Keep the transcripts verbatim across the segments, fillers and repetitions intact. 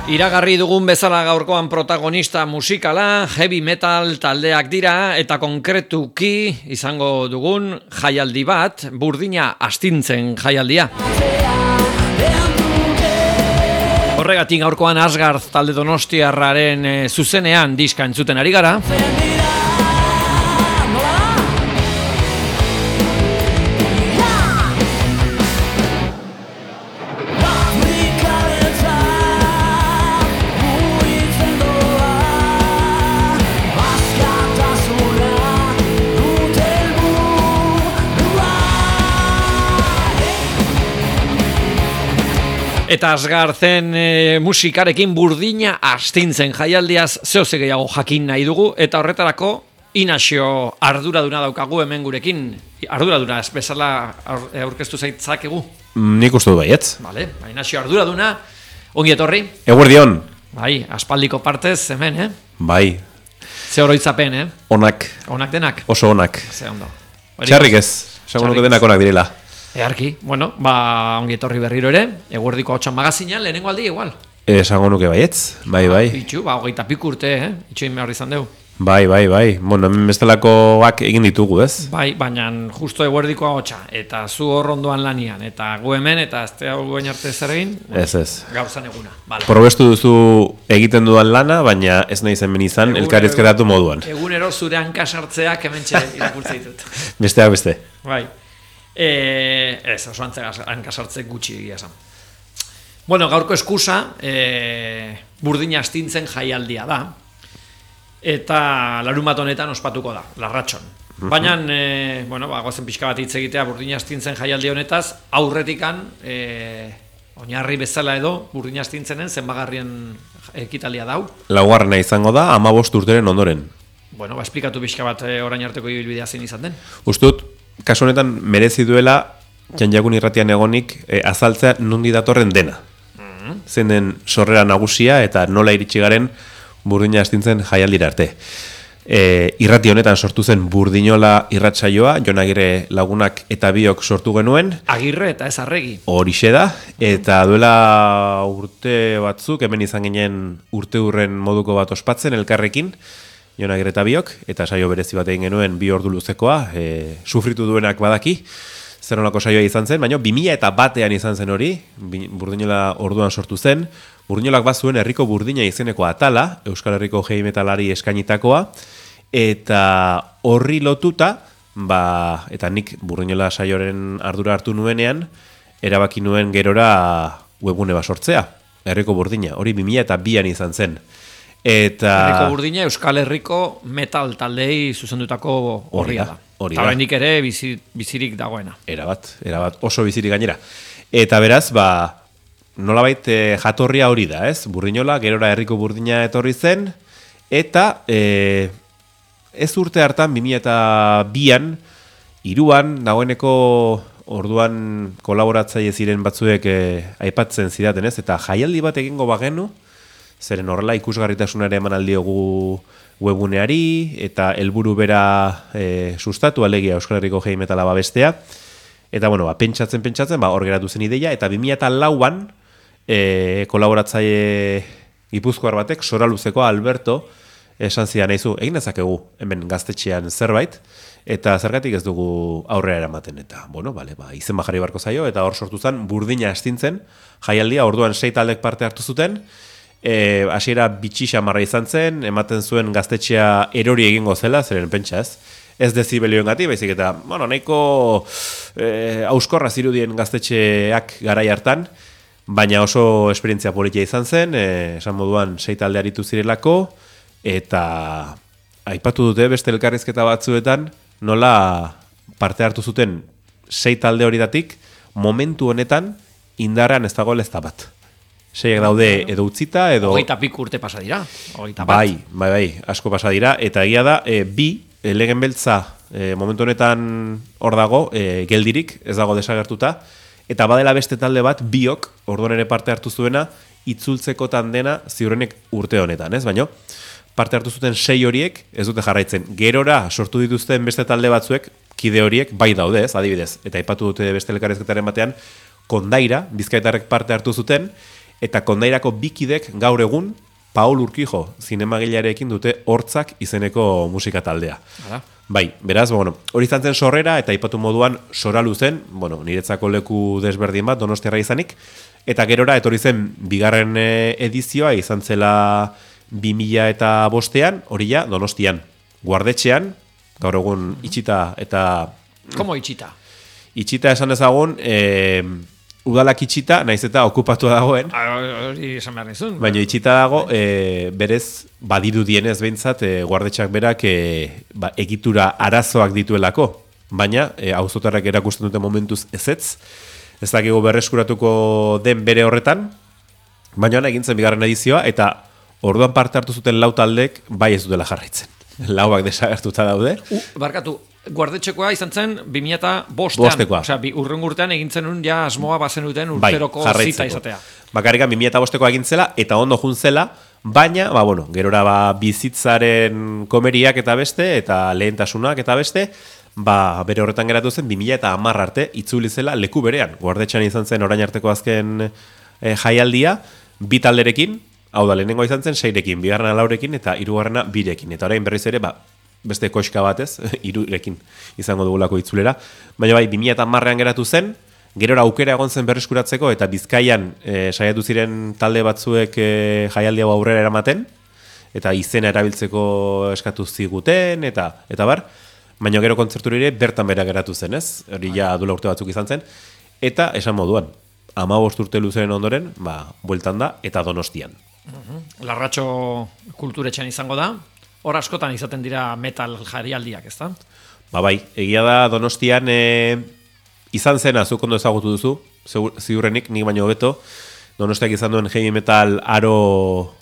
Iragarri dugun bezala gaurkoan protagonista musikala, heavy metal taldeak dira eta konkretuki izango dugun jaialdi bat, Burdina Astintzen jaialdia. Horregatik gaurkoan Asgard talde donostiarraren e, zuzenean diska entzuten ari gara. Eta Asgarden e, musikarekin Burdina Astintzen jaialdiaz zehose gehiago jakin nahi dugu, eta horretarako Inaxio arduraduna daukagu hemen gurekin. Arduraduna ez bezala aurkeztu zaitzakegu? Nik uste du baietz. Vale, Inaxio arduraduna, ongi etorri? Eguerdion. Bai, aspaldiko partez hemen, eh? Bai. Ze oroitzapen, eh? Onak. Onak denak? Oso onak. Ze ondo. Txarrik ez, esango nuke denak onak direla. Earki, bueno, ba, ongi etorri berriro ere, eguerdiko hotxan magazinan, lehenengo aldi igual. Esango nuke baietz, bai, bai. Itxu, ba, hogeita pik urte, eh? Itxuin behar izan dugu. Bai, bai, bai. Bueno, hemen bestelakoak egin ditugu, ez? Bai, baina justo eguerdiko hotxa, eta zu hor ondoan lanian, eta gu hemen, eta ez hau guen arte zer egin, ez, ez. Gauzan eguna. Vale. Probestu duzu egiten dudan lana, baina ez nahi zen izan elkarrizketatu moduan. Egunero zure hankasartzeak hemen txe irakurtze ditut. Besteak beste. Bai. E, ez, oso hankasartze gutxi egia esan. Bueno, gaurko eskusa, e, Burdina Astintzen jaialdia da, eta larun bat honetan ospatuko da, Larratxon. Baina, e, bueno, ba, gozen pixka bat hitz egitea Burdina Astintzen jaialdi honetaz, aurretikan, e, oinarri bezala edo, Burdina Astintzenen zenbagarrien ekitalia dau. Laugarrena izango da, hamabost urteren ondoren. Bueno, ba, esplikatu pixka bat e, orain arteko ibilbidea zein izan den. Ustut, kasu honetan merezi duela Txantxakun irratian egonik e, azaltzea nundi datorren dena. Mm-hmm. Zein den sorrera nagusia eta nola iritsi garen Burdina Astintzen jaialdira arte. E, irrati honetan sortu zen Burdinola irratsaioa, Jon Agirre lagunak eta biok sortu genuen. Agirre eta ez Arregi. Horixe da, eta duela urte batzuk, hemen izan ginen urte hurren moduko bat ospatzen elkarrekin, Jon Agirre eta biok, eta saio berezi bat egin genuen bi ordu luzekoa, e, sufritu duenak badaki, zer nolako saioa izan zen, baina bi mila eta batean izan zen hori, Burdinola orduan sortu zen, Burdinolak bazuen herriko Burdina izeneko atala, Euskal Herriko heavy metalari eskainitakoa, eta horri lotuta, ba, eta nik Burdinola saioaren ardura hartu nuenean, erabaki nuen gerora webgune bat sortzea, herriko Burdina, hori bi mila eta bian izan zen. Eta Herriko Burdina Euskal Herriko metal taldei zuzendutako horria da. Eta oraindik ere bizi, bizirik dagoena. Erabat, erabat, oso bizirik gainera. Eta beraz, ba, nolabait e, jatorria hori da, ez? Burdinola, gerora herriko Burdina etorri zen, eta e, ez urte hartan, bi mila eta bian, hiruan, dagoeneko orduan kolaboratzaile ziren batzuek e, aipatzen zidaten, ez? Eta jaialdi bat egingo bagenu, zeren horrela ikusgarritasunare eman aldiogu webuneari, eta helburu bera e, sustatu alegia Euskal Herriko heavy metala babestea. Eta, bueno, ba, pentsatzen, pentsatzen, ba, hor geratu zen ideia, eta bi mila eta lauan e, kolaboratzaile gipuzkoar batek, Soraluzeko Alberto, esan zidan eizu, egin dezakegu hemen gaztetxean zerbait, eta zergatik ez dugu aurrera eramaten. Eta, bueno, bale, ba, izen bajarri barko zaio, eta hor sortu zen Burdina Astintzen jaialdia, orduan sei taldek parte hartu zuten, E, hasiera bitxi xamarra izan zen, ematen zuen gaztetxea erori egingo zela, zeren pentsa ez, ez dezibelioen gati, baizik eta, bueno, nahiko e, auskorra zirudien gaztetxeak garai hartan, baina oso esperientzia politia izan zen, e, esan moduan sei talde aritu zirelako, eta aipatu dute beste elkarrizketa batzuetan, nola parte hartu zuten sei talde horietatik, momentu honetan indarrean ez dagoela ez da bat. Seiak daude edo utzita, edo... Hogeita pik urte pasa dira. Bai, bai, bai, asko pasa dira. Eta egia da, e, bi, e, legen beltza e, momentu honetan hor dago, e, geldirik, ez dago desagertuta. Eta badela beste talde bat, biok, orduan ere parte hartu zuena, itzultzekotan dena ziurrenek urte honetan, ez? Baina, parte hartu zuten sei horiek, ez dute jarraitzen. Gerora sortu dituzten beste talde batzuek, kide horiek, bai daude, ez, adibidez. Eta aipatu dute beste elkarrizketaren batean, Kondaira, Bizkaitarrek parte hartu zuten, eta kondairako bikidek gaur egun Paul Urquijo zinemagilearekin dute Hortzak izeneko musika taldea. Hala. Bai, beraz, bueno, hori izan zen sorrera eta aipatu moduan Soralu zen, bueno, niretzako leku desberdin bat Donostiarra izanik, eta gerora etorri zen bigarren edizioa izan zela bi mila eta bostean, hori ja Donostian, Guardetxean, gaur egun itxita eta... Komo itxita? Itxita esan ezagun, e, udalak itxita, naiz eta okupatua dagoen. Hori esan behar nizun. Baina itxita dago, e, berez, badiru dienez behintzat, e, Guardetxak berak e, ba, egitura arazoak dituelako. Baina, e, auzotarrak erakusten dute momentuz ezetz. Ez dakigu berreskuratuko den bere horretan. Baina egin zen bigarren edizioa, eta orduan parte hartu zuten lau taldek bai ez dutela jarraitzen. Lauak desagertuta daude. U, barkatu, Guardetxekoa izan zen bi mila eta bostean. Bostekoa. Osea, urren urtean egin zenun ja asmoa bazen duten Bai, urteroko jarraitzeko. zita izatea. Bakarrikan bi mila eta bostekoa egin zela, eta ondo jun zela, baina, ba, bueno, gerora ba, bizitzaren komeriak eta beste, eta lehentasunak eta beste, ba, bere horretan geratu zen, bi mila eta hamar arte itzuli zela leku berean. Guardetxean izan zen orain arteko azken e, jaialdia, bi talderekin, hau da, lehenengoa izan zen, seirekin, bigarrena laurekin, eta hirugarrena birekin. Eta orain berriz ere, ba, beste koxka batez, hirurekin izango dugulako itzulera. Baina bai, bi mila eta hamarrean geratu zen, gerora aukera egon zen berreskuratzeko, eta Bizkaian e, saiatu ziren talde batzuek e, jaialdi hau aurrera eramaten, eta izena erabiltzeko eskatu ziguten, eta eta bar, baina gero kontzertu ere bertan bera geratu zen, ez? Hori ja dula urte batzuk izan zen, eta esan moduan, hamabost urte luzeren ondoren, ba, bueltan da, eta Donostian. Larratxo kulturetxean izango da, hor askotan izaten dira metal jarialdiak, ezta? Ba bai, egia da Donostian e, izan zena, zuk ondo ezagutu duzu, ziurrenik, nik baino hobeto, Donostiak izan duen heavy metal aro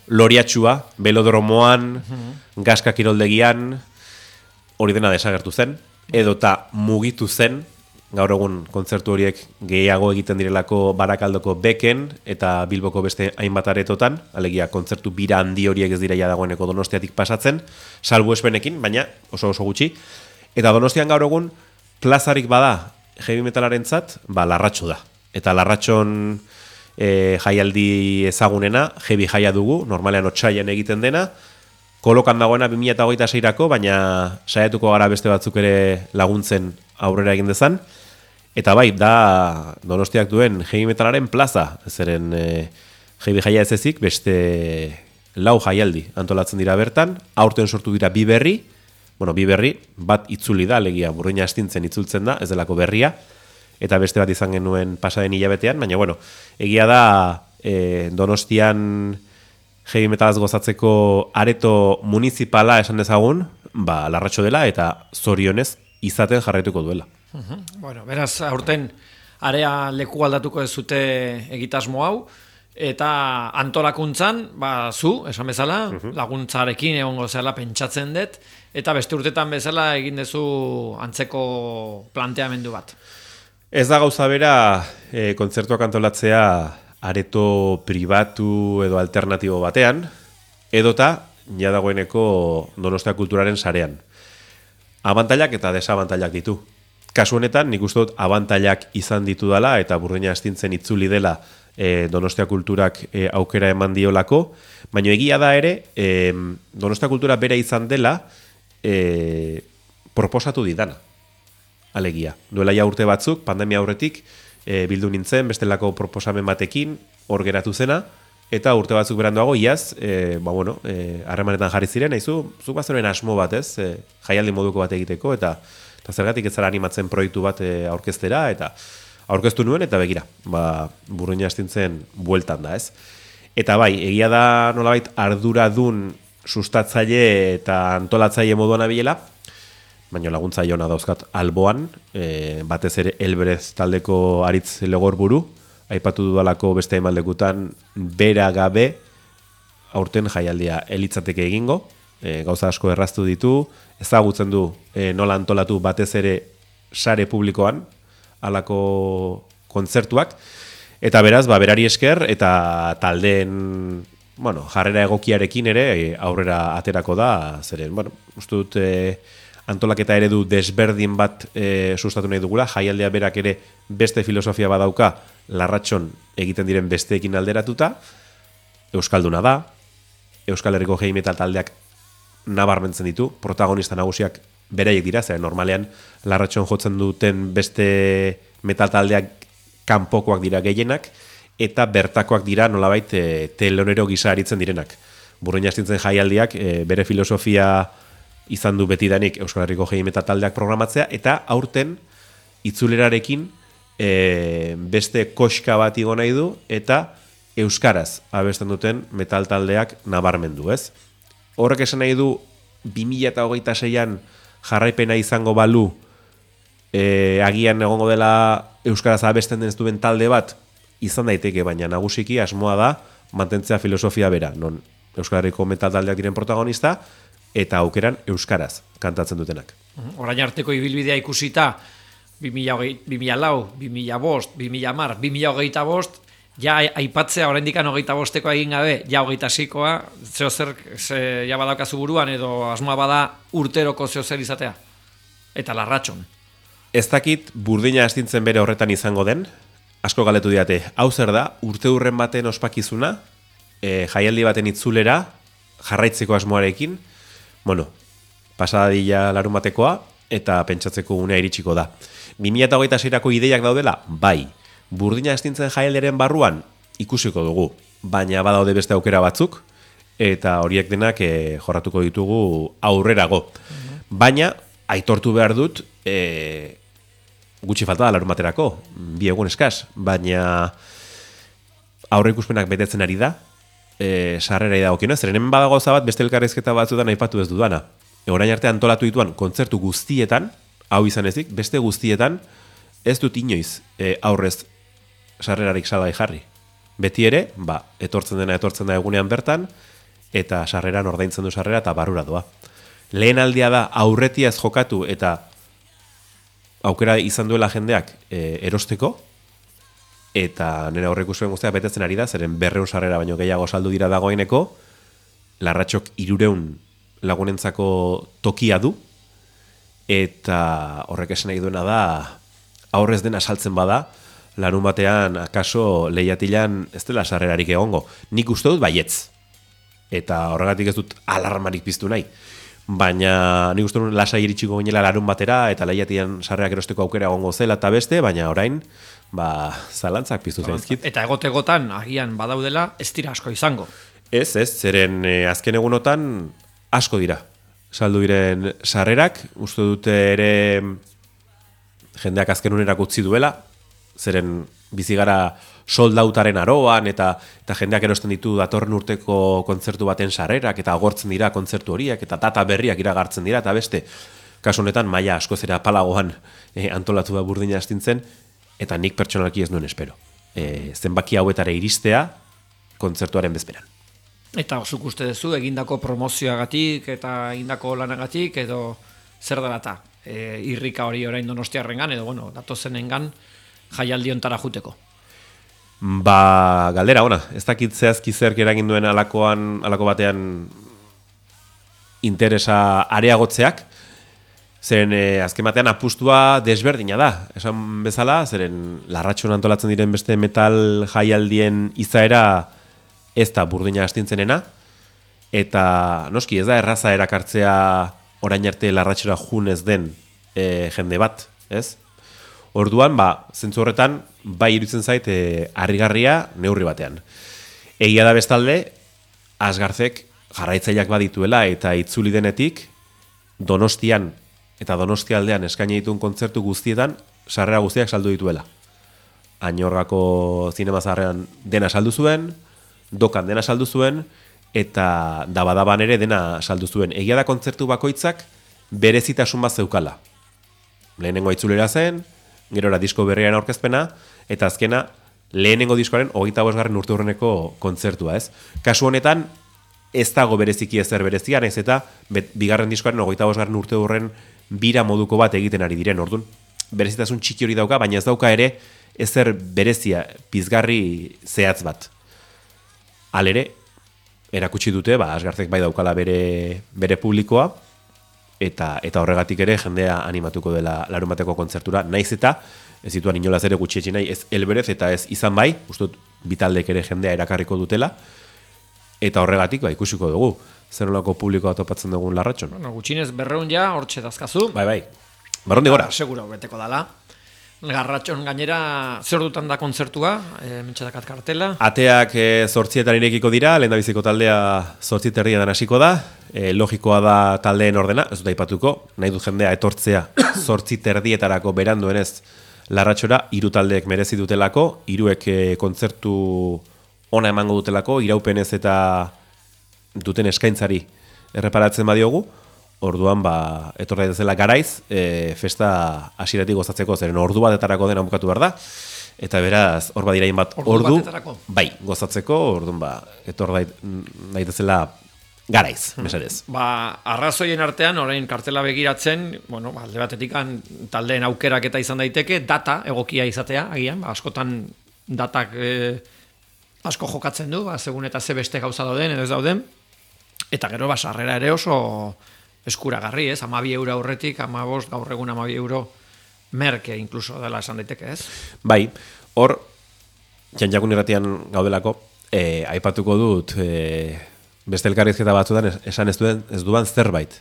loriatxua, belodromoan, mm-hmm. gaska kiroldegian, hori dena desagertu zen, edota mugitu zen, gaur egun kontzertu horiek gehiago egiten direlako Barakaldoko Beken eta Bilboko beste hainbat aretotan, alegia kontzertu bira handi horiek ez dira ja dagoeneko Donostiatik pasatzen, salbu espenekin, baina oso oso gutxi. Eta Donostian gaur egun plazarik bada heavy metalarentzat, ba Larratxo da. Eta Larratxon e, jaialdi ezagunena, heavy jaia dugu, normalean otsailean egiten dena, kolokan dagoena bi mila hogeita seirako, baina saiatuko gara beste batzuk ere laguntzen aurrera egin dezan. Eta bai, da Donostiak duen heavy metalaren plaza, zeren e, heavy jaia ez ezik, beste lau jaialdi antolatzen dira bertan, aurten sortu dira bi berri, bueno, bi berri, bat itzuli da, alegia Burruina Astintzen itzultzen da, ez delako berria, eta beste bat izan genuen pasaden hilabetean, baina bueno, egia da e, Donostian heavy metalaz gozatzeko areto municipala esan dezagun, ba, Larratxo dela, eta zorionez izaten jarraituko duela. Uh-huh. Bueno, beraz, aurten area leku aldatuko ez zute egitasmo hau, eta antolakuntzan, ba, zu, esan bezala, uh-huh. laguntzarekin egongo zela pentsatzen dut, eta beste urtetan bezala egin dezu antzeko planteamendu bat. Ez da gauza bera e, kontzertuak antolatzea areto pribatu edo alternatibo batean, edota ja dagoeneko Donostia kulturaren sarean. Abantailak eta desabantailak ditu. Kasu honetan, nik uste dut abantailak izan ditu dela, eta Burruina Astintzen itzuli dela e, Donostia kulturak e, aukera eman diolako, baina egia da ere, e, Donostia kultura bera izan dela, e, proposatu didana. Alegia. Duela ja urte batzuk, pandemia aurretik, e, bildu nintzen, bestelako proposamen batekin, hor geratu zena, eta urte batzuk beranduago, iaz, e, ba bueno, harremanetan e, jarri ziren, haizu, zuk bazaren asmo bat, ez, e, jaialdi moduko bat egiteko, eta, eta zergatik ez zara animatzen proiektu bat e, aurkeztera, eta aurkeztu nuen, eta begira, ba, Burruina Astintzen bueltan da, ez. Eta bai, egia da nolabait arduradun sustatzaile eta antolatzaile moduan abilela, baina laguntzaile ona dauzkat alboan, e, batez ere Elberez taldeko Aritz Legorburu, aipatu dudalako beste emaldekutan bera gabe aurten jaialdia elitzateke egingo, e, gauza asko erraztu ditu, ezagutzen du e, nola antolatu batez ere sare publikoan halako kontzertuak, eta beraz, ba, berari esker eta taldeen bueno, jarrera egokiarekin ere e, aurrera aterako da, zeren, bueno, uste dut e, antolaketa eredu desberdin bat e, sustatu nahi dugula, jaialdea berak ere beste filosofia badauka, Larratxon egiten diren besteekin alderatuta, euskalduna da, Euskal Herriko heavy metal taldeak nabarmentzen ditu, protagonista nagusiak beraiek dira, zer normalean Larratxon jotzen duten beste metal taldeak kanpokoak dira gehienak, eta bertakoak dira nolabait e, telonero gisa aritzen direnak. Burruina astintzen jaialdiak e, bere filosofia izan du betidanik Euskal Herriko heavy metal taldeak programatzea, eta aurten itzulerarekin e, beste koska bat igo nahi du, eta euskaraz abesten duten metal taldeak nabarmendu, ez? Horrek esan nahi du bi mila hogeita seian jarraipena izango balu e, agian egongo dela euskaraz abesten den ez duen talde bat izan daiteke, baina nagusiki asmoa da mantentzea filosofia bera, non Euskal Herriko metal taldeak diren protagonista eta aukeran euskaraz kantatzen dutenak. Orain arteko ibilbidea ikusita bi mila lau, bi mila bost, bi mila hamar, bi mila hogeita bost, ja aipatzea oraindikan hogeita bosteko egin gabe, ja hogeita seikoa, zeo zer ze, ja badaukazu buruan edo asmoa bada urteroko zeo zer izatea. Eta Larratxon. Ez dakit burdina astintzen bere horretan izango den, asko galetu diate, hau zer da, urte hurren baten ospakizuna, e, jaialdi baten itzulera, jarraitzeko asmoarekin, bueno, pasadilla larun batekoa, eta pentsatzeko unea iritsiko da. bi mila hogeita seirako ideiak daudela, bai. Burdina astintzen jaialdiaren barruan ikusiko dugu, baina badaude beste aukera batzuk, eta horiek denak e, jorratuko ditugu aurrerago. Uh-huh. Baina, aitortu behar dut, e, gutxi falta da larun baterako, bi egun eskaz, baina aurre ikuspenak betetzen ari da, e, sarrera idagokionez, zeren hemen badago gauza bat beste elkarrizketa batzuetan aipatu ez dudana. Orain arte antolatu dituan kontzertu guztietan, hau izan ezik, beste guztietan, ez dut inoiz e, aurrez sarrerarik salgai jarri. Beti ere, ba, etortzen dena etortzen da egunean bertan, eta sarreran ordaintzen du sarrera eta barrura doa. Lehen aldia da aurretiaz jokatu eta aukera izan duela jendeak e, erosteko, eta nire aurreikuspen guztiak betetzen ari da, zeren berreun sarrera baino gehiago saldu dira dagoeneko, Larratxok irureun lagunentzako tokia du, eta horrek esan nahi duena da, aurrez dena saltzen bada, larun batean, akaso, lehiatilan ez dela sarrerarik egongo. Nik uste dut baietz. Eta horregatik ez dut alarmarik piztu nahi. Baina nik uste dut lasai iritsiko ginela larun batera, eta lehiatilan sarrerak erosteko aukera egongo zela eta beste, baina orain, ba, zalantzak piztu zaizkit. Eta egotegotan, agian badaudela, ez dira asko izango. Ez, ez, zeren eh, azken egunotan asko dira. Saldu diren sarrerak, uste dute ere jendeak azken unerak utzi duela, zeren bizigara soldautaren aroan, eta eta jendeak erosten ditu datorren urteko kontzertu baten sarrerak, eta agortzen dira kontzertu horiek, eta data berriak iragartzen dira, eta beste, kasu honetan, maila asko zera palagoan e, antolatu da Burdina astintzen, eta nik pertsonalki ez nuen espero. E, zenbaki hauetara iristea kontzertuaren bezperan. Eta zuk uste duzu, egindako promozioagatik, eta egindako lanagatik, edo zer dela eta e, irrika hori orain Donostiarrengan, edo bueno, datozenengan, jaialdi ontara juteko. Ba, galdera, ona, ez dakit zehazki zerk eragin duen alakoan, alako batean interesa areagotzeak, zeren eh, azken batean apustua desberdina da, esan bezala, zeren Larratxon antolatzen diren beste metal jaialdien izaera ez da Burdina astintzenena, eta noski ez da erraza erakartzea orain arte Larratxora junez den e, jende bat, ez? Orduan, ba, zentzu horretan, bai iruditzen zait e, harrigarria neurri batean. Egia da bestalde, Asgarzek jarraitzaileak badituela eta itzuli denetik Donostian eta Donostialdean eskaini dituen kontzertu guztietan sarrera guztiak saldu dituela. Añorgako zinema zaharrean dena saldu zuen, Dokan dena saldu zuen, eta Dabadaban ere dena saldu zuen. Egia da kontzertu bakoitzak berezitasun bat zeukala. Lehenengo itzulera zen, gerora disko berriaren aurkezpena, eta azkena lehenengo diskoaren hogeita bosgarren urte hurreneko kontzertua, ez? Kasu honetan, ez dago bereziki ezer berezia, naiz eta bet, bigarren diskoaren hogeita bosgarren urte hurren bira moduko bat egiten ari diren, orduan. Berezitasun txiki hori dauka, baina ez dauka ere ezer berezia, pizgarri zehatz bat. Halere, erakutsi dute, ba, Asgarzek bai daukala bere, bere publikoa, eta eta horregatik ere jendea animatuko dela larunbateko kontzertura, naiz eta ez zituan inolaz ere gutxietxe nahi, ez Elberez eta ez izan bai, uste dut bitaldek ere jendea erakarriko dutela, eta horregatik, ba, ikusiko dugu, zer nolako publikoa topatzen dugun Larratxon. Bueno, gutxinez berreun ja, hortxe dazkazu. Bai, bai, barrondi gora. Seguro, beteko dala. Larratxon gainera, zer dutan da kontzertua, e, mentxetakat kartela. Ateak e, zortzietan irekiko dira, lehen da biziko taldea zortzit erdian hasiko da, e, logikoa da taldeen ordena, ez dut aipatuko, nahi dut jendea etortzea zortzit erdietarako beranduenez Larratxora, hiru taldeek merezi dutelako, hiruek e, kontzertu ona emango dutelako, iraupenez eta duten eskaintzari erreparatzen badiogu, orduan ba, etorra dezela garaiz, e, festa hasieratik gozatzeko, zeren ordu batetarako dena bukatu behar da, eta beraz, hor badira bat ordu, ordu batetarako? Bai, gozatzeko, orduan ba, etor daitezela garaiz, mesedez. Ba, arrazoien artean, orain kartela begiratzen, bueno, alde batetik taldeen aukerak eta izan daiteke, data egokia izatea, agian, ba, askotan datak e, asko jokatzen du, ba, segun eta ze beste gauza dauden, edo ez dauden, eta gero, ba, sarrera ere oso eskuragarri, ez? Amabi euro aurretik, amabost, gaur egun amabi euro merke, inkluso dela esan daiteke, ez? Bai, hor, janjakun irratian gaudelako, e, aipatuko dut, e, beste elkarrizketa batzutan esan ez duen ez duan zerbait.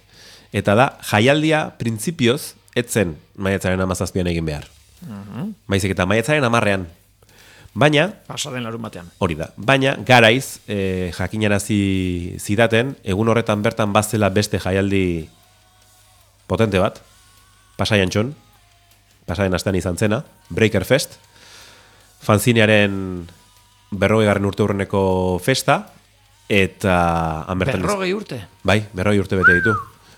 Eta da, jaialdia printzipioz etzen maiatzaren amazazpian egin behar. Uh-huh. Baizik eta maiatzaren amarrean. Baina, pasaden larun batean. Hori da. Baina, garaiz, e, jakinarazi zidaten, egun horretan bertan bazela beste jaialdi potente bat, Pasaian txon, pasaden astean izan zena, Breaker Fest, fanzinearen berrogei garren urte hurreneko festa, eta berrogei urte? Bai, berrogei urte bete ditu.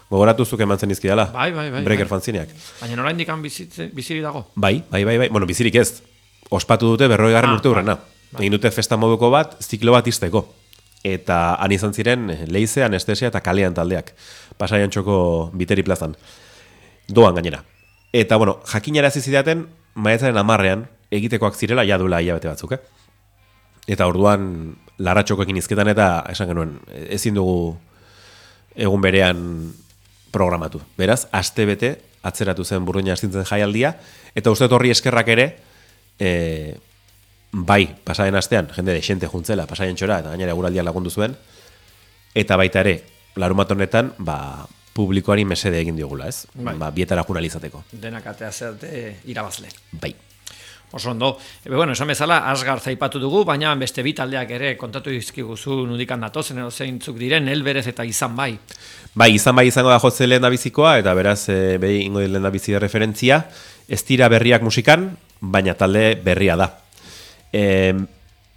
Gogoratu zuk eman zen izkidala. Bai, bai, bai. Breaker bai. fanzineak. Baina nola indikan biziri dago? Bai, bai, bai, bai. Bueno, bizirik ez. Ospatu dute berrogei garren ah, urte hurrena. Bai. Egin dute festa moduko bat, ziklo bat izteko. Eta han izan ziren leize, anestesia eta kalean taldeak. Pasaian txoko biteri plazan. Doan gainera. Eta, bueno, jakinarazi zidaten, maiatzaren amarrean, egitekoak zirela, ja duela hilabete batzuk, eh? Eta orduan Larratxokoekin izketan eta esan genuen, ezin dugu egun berean programatu. Beraz, aste bete atzeratu zen Burdina astintzen jaialdia, eta uste horri eskerrak ere, e, bai, pasaden astean, jende desente juntzela, pasaden txora, eta gainera eguraldiak lagundu zuen, eta baita ere, larumat honetan, ba, publikoari mesede egin diogula, ez? Bai. Ba, bietara jurnalizateko. Denak atea zerte irabazle. Bai. Oso ondo. Ebe, bueno, esan bezala, Asgar zaipatu dugu, baina beste bi taldeak ere kontatu dizkiguzu nudikan datozen edo zeintzuk diren, Elberez eta Izan bai. Bai, Izan bai izango da jotze lehen da bizikoa, eta beraz, e, behi ingo lehen da bizi de referentzia, ez dira berriak musikan, baina talde berria da. E,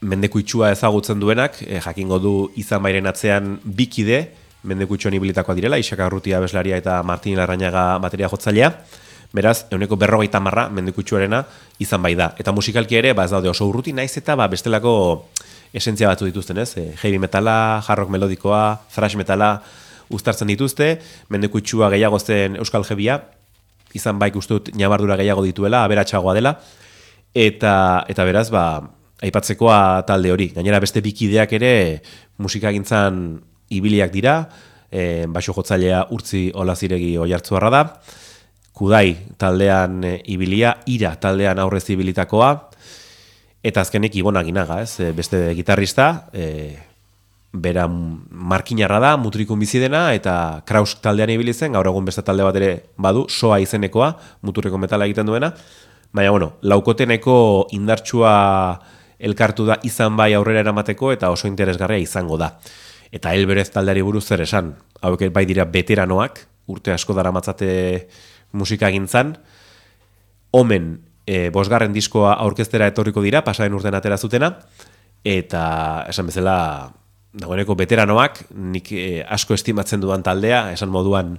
mendekuitsua ezagutzen duenak, e, jakingo du Izan bairen atzean bikide, mendekuitsuan ibilitakoa direla, Isaka Arrutia abeslaria eta Martin Larrañaga bateria jotzailea. Beraz, euneko berrogeita marra mendekutsuarena Izan bai da. Eta musikalki ere, ba, ez daude oso urruti, naiz eta ba, bestelako esentzia batzu dituzten, ez? E, heavy metala, hard rock melodikoa, thrash metala uztartzen dituzte, mendekutsua gehiago zen euskal heavya, Izan baik ustut nabardura gehiago dituela, aberatsagoa dela, eta, eta beraz, ba, aipatzekoa talde hori. Gainera beste bikideak ere musikagintzan ibiliak dira, e, baixo jotzailea Urtzi Olaziregi Oiartzuarra da, Kudai taldean e, ibilia, Ira taldean aurrez ibilitakoa, eta azkenik Ibon Aginaga, ez? E, beste gitarrista, e, bera markinarra da, mutrikun bizi dena, eta Kraus taldean ibili zen, gaur egun beste talde bat ere badu, soa izenekoa, muturreko metala egiten duena, baina, bueno, laukoteneko indartsua elkartu da Izan bai aurrera eramateko, eta oso interesgarria izango da. Eta Elberez taldeari buruz zer esan, hauek bai dira veteranoak, urte asko daramatzate musika gintzan, omen e, bosgarren diskoa aurkeztera etorriko dira, pasaren urtean atera zutena, eta esan bezala, dagoeneko veteranoak, nik e, asko estimatzen dudan taldea, esan moduan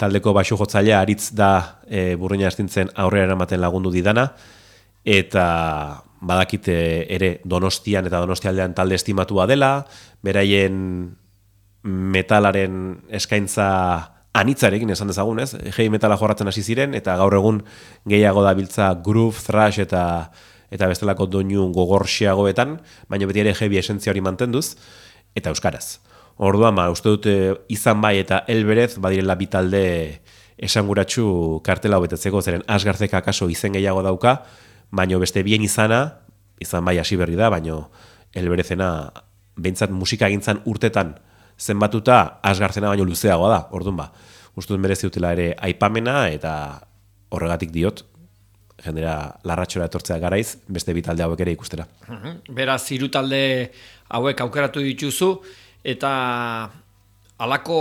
taldeko baixu jotzailea aritz da e, Burdina astintzen aurrera eramaten lagundu didana, eta badakite ere Donostian eta Donostialdean talde estimatua dela, beraien metalaren eskaintza anitzarekin esan dezagun, ez? Heavy metala jorratzen hasi ziren, eta gaur egun gehiago dabiltza groove, thrash eta eta bestelako doinu gogorxiagoetan, baina beti ere heavy esentzia hori mantenduz, eta euskaraz. Orduan, ba, uste dute Izan bai eta Elberez badirela bi talde esanguratsu kartela hobetetzeko, zeren Asgarzek akaso izen gehiago dauka, baino beste bien izana, izan bai hasi berri da, baino Elberezena behintzat musika egintzan urtetan zenbatuta Asgarzena baino luzeagoa da, orduan ba. Ustuz merezi utela ere aipamena eta horregatik diot, jendera larratxora etortzea garaiz, beste bi talde hauek ere ikustera. Beraz, hiru talde hauek aukeratu dituzu, eta halako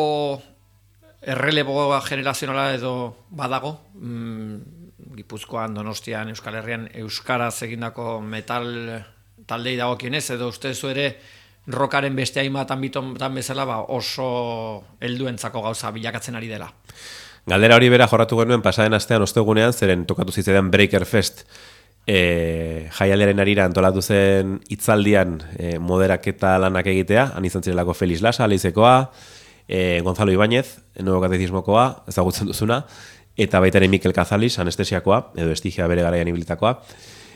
erreleboa generazionala edo badago, mm, Gipuzkoan, Donostian, Euskal Herrian, euskaraz egindako metal taldei dagokionez, edo ustezu ere rockaren beste hainbat anbitotan bezala ba, oso helduentzako gauza bilakatzen ari dela. Galdera hori bera jorratu genuen pasaden astean ostegunean, zeren tokatu zitzaidan Breaker Fest e, jaialdiaren arira antolatu zen hitzaldian e, moderaketa lanak egitea, han izan zirelako Felix Lasa, Leizekoa, e, Gonzalo Ibáñez, Nuevo Katechismokoa, ezagutzen duzuna, eta baita ere Mikel Kazalis, anestesiakoa, edo estigia bere garaian ibilitakoa.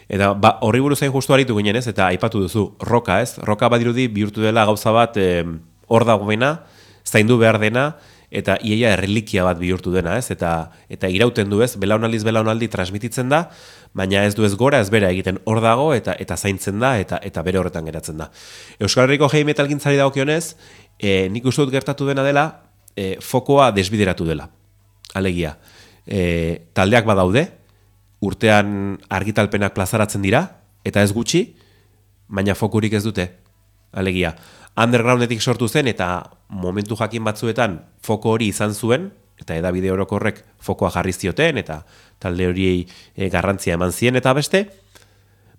Eta ba, horri buruz hain justu aritu ginen ez, eta aipatu duzu, roka ez, roka badirudi bihurtu dela gauza bat hor e, dagoena, zaindu behar dena, eta iaia errelikia bat bihurtu dena ez, eta, eta irauten du ez, belaunaldiz belaunaldi transmititzen da, baina ez du ez gora, ez bera egiten hor dago, eta eta zaintzen da, eta eta bere horretan geratzen da. Euskal Herriko heavy metal gintzari dagokionez, e, nik uste dut gertatu dena dela, e, fokoa desbideratu dela, alegia. E, taldeak badaude, urtean argitalpenak plazaratzen dira, eta ez gutxi, baina fokurik ez dute, alegia. Undergroundetik sortu zen, eta momentu jakin batzuetan foko hori izan zuen, eta edabide orokorrek fokoa jarri zioten, eta talde horiei e, garrantzia eman zien eta beste,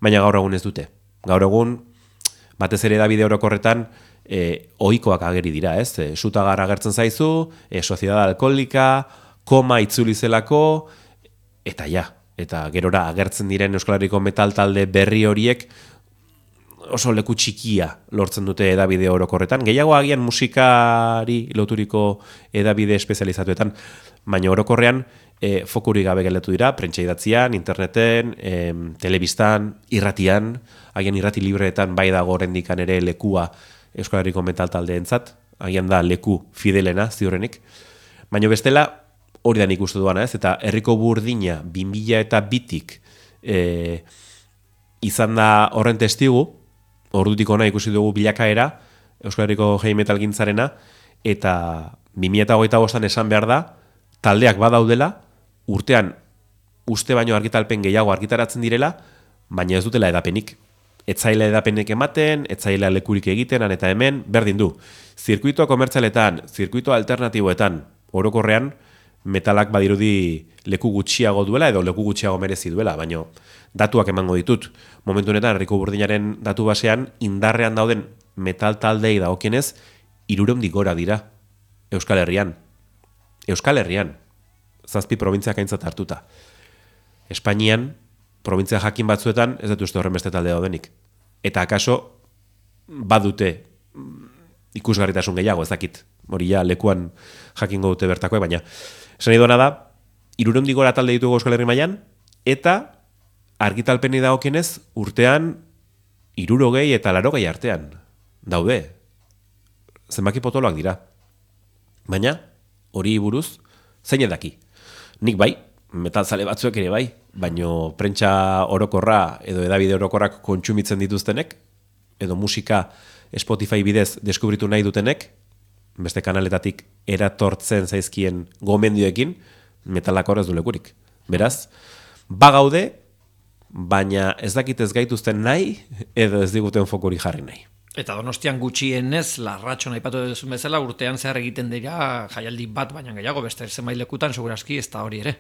baina gaur egun ez dute. Gaur egun, batez ere edabide orokorretan, e, ohikoak ageri dira, ez? E, Sutagar agertzen zaizu, e, Sociedad Alkoholika, Koma itzuli zelako, eta ja, eta gerora agertzen diren Euskal Herriko metal talde berri horiek oso leku txikia lortzen dute edabide orokorretan. Gehiago agian musikari loturiko edabide espezializatuetan, baina orokorrean e, fokuri gabe gelditu dira, prentsa idatzian, interneten, e, telebistan, irratian, agian irrati libreetan bai dago oraindikan ere lekua Euskal Herriko metal taldeentzat, agian da leku fidelena ziurrenik. Baina bestela hori da nik uste duana ez, eta herriko burdina bi mila eta bitik e, izan da horren testigu, ordutik ona ikusi dugu bilakaera Euskal Herriko heavy metal gintzarena, eta bi mila hogeita bostan esan behar da, taldeak badaudela, urtean uste baino argitalpen gehiago argitaratzen direla, baina ez dutela edapenik. Etzaila edapenek ematen, etzaila lekurik egiten, han eta hemen, berdin du. Zirkuito komertzialetan, zirkuito alternatiboetan, orokorrean, metalak badirudi leku gutxiago duela edo leku gutxiago merezi duela, baina datuak emango ditut. Momentu honetan, herriko burdinaren datu basean, indarrean dauden metal taldei dagokienez, hirurehun gora dira Euskal Herrian. Euskal Herrian, zazpi probintziak aintzat hartuta. Espainian, probintzia jakin batzuetan, ez dut uste horren beste talde daudenik. Eta akaso, badute ikusgarritasun gehiago, ez dakit. Hori ja, lekuan jakingo dute bertakoek, baina esan nahi duena da, hirurehun gora talde ditugu Euskal Herri mailan, eta argitalpeni dagokienez urtean hirurogei eta larogei artean daude. Zenbaki potoloak dira. Baina, hori buruz, zein edaki. Nik bai, metalzale batzuek ere bai, baino prentsa orokorra edo edabide orokorrak kontsumitzen dituztenek, edo musika Spotify bidez deskubritu nahi dutenek, beste kanaletatik eratortzen zaizkien gomendioekin, metalak horrez du lekurik. Beraz, bagaude, baina ez dakit ez gaituzten nahi, edo ez diguten fokuri jarri nahi. Eta Donostian gutxienez, larratxo aipatu duzun bezala, urtean zehar egiten dira jaialdi bat, baina gehiago, beste zenbait lekutan, segurazki ez da hori ere.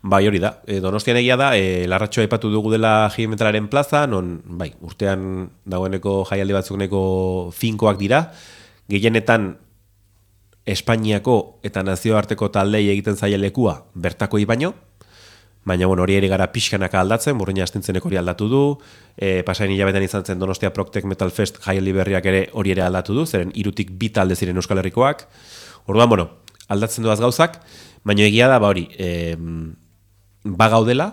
Bai, hori da. E, Donostian egia da, e, larratxo aipatu dugu dela heavy metalaren plaza, non, bai, urtean dagoeneko jaialdi batzuk neko finkoak dira, gehienetan Espainiako eta nazioarteko taldei egiten zaila lekua bertakoi baino, baina bueno, hori ere gara pixkanaka aldatzen, Burruina Astintzenek hori aldatu du, e, pasain hilabetean izan zen Donostia Proktek Metal Fest jaialdi berriak ere hori ere aldatu du, zeren hirutik bi talde ziren Euskal Herrikoak, orduan, bueno, aldatzen duaz gauzak, baina egia da, ba hori, e, bagaudela,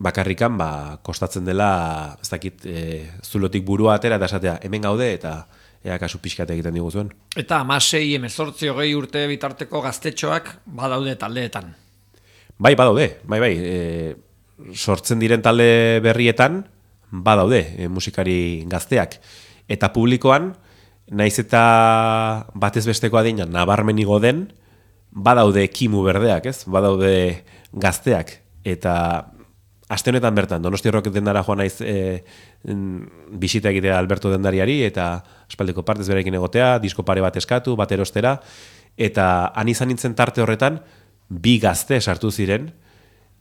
bakarrikan, ba, kostatzen dela, ez dakit, e, zulotik burua atera, eta esatea, hemen gaude, eta ea kasu pixkat egiten diguzuen. Eta amasei, emezortzi, hogei urte bitarteko gaztetxoak badaude taldeetan. Bai, badaude, bai, bai, e, sortzen diren talde berrietan, badaude e, musikari gazteak. Eta publikoan, naiz eta batez besteko adina nabarmenigo den, badaude kimu berdeak, ez? Badaude gazteak. Eta aste honetan bertan, Donostia Rock dendara joan naiz e, bisita egitea Alberto dendariari, eta aspaldiko partez berekin egotea, disko pare bat eskatu, bat erostera, eta han izan nintzen tarte horretan, bi gazte sartu ziren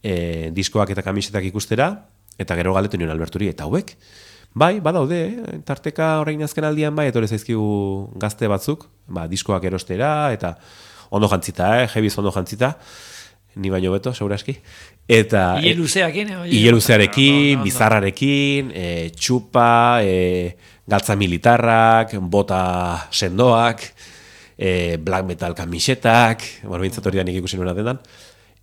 e, diskoak eta kamisetak ikustera, eta gero galdetu nion Alberturi, eta hauek, bai, badaude, eh? Tarteka orain azken aldian bai, etorri zaizkigu gazte batzuk, ba, diskoak erostera, eta ondo jantzita, eh? Jebiz ondo jantzita, ni baino beto, seguraski. Eta Ile luzeakin, eh? Ile luzearekin, bizarrarekin, e, txupa, e, galtza militarrak, bota sendoak, e, black metal kamisetak, morbintzat hori da nik ikusi nuena denan.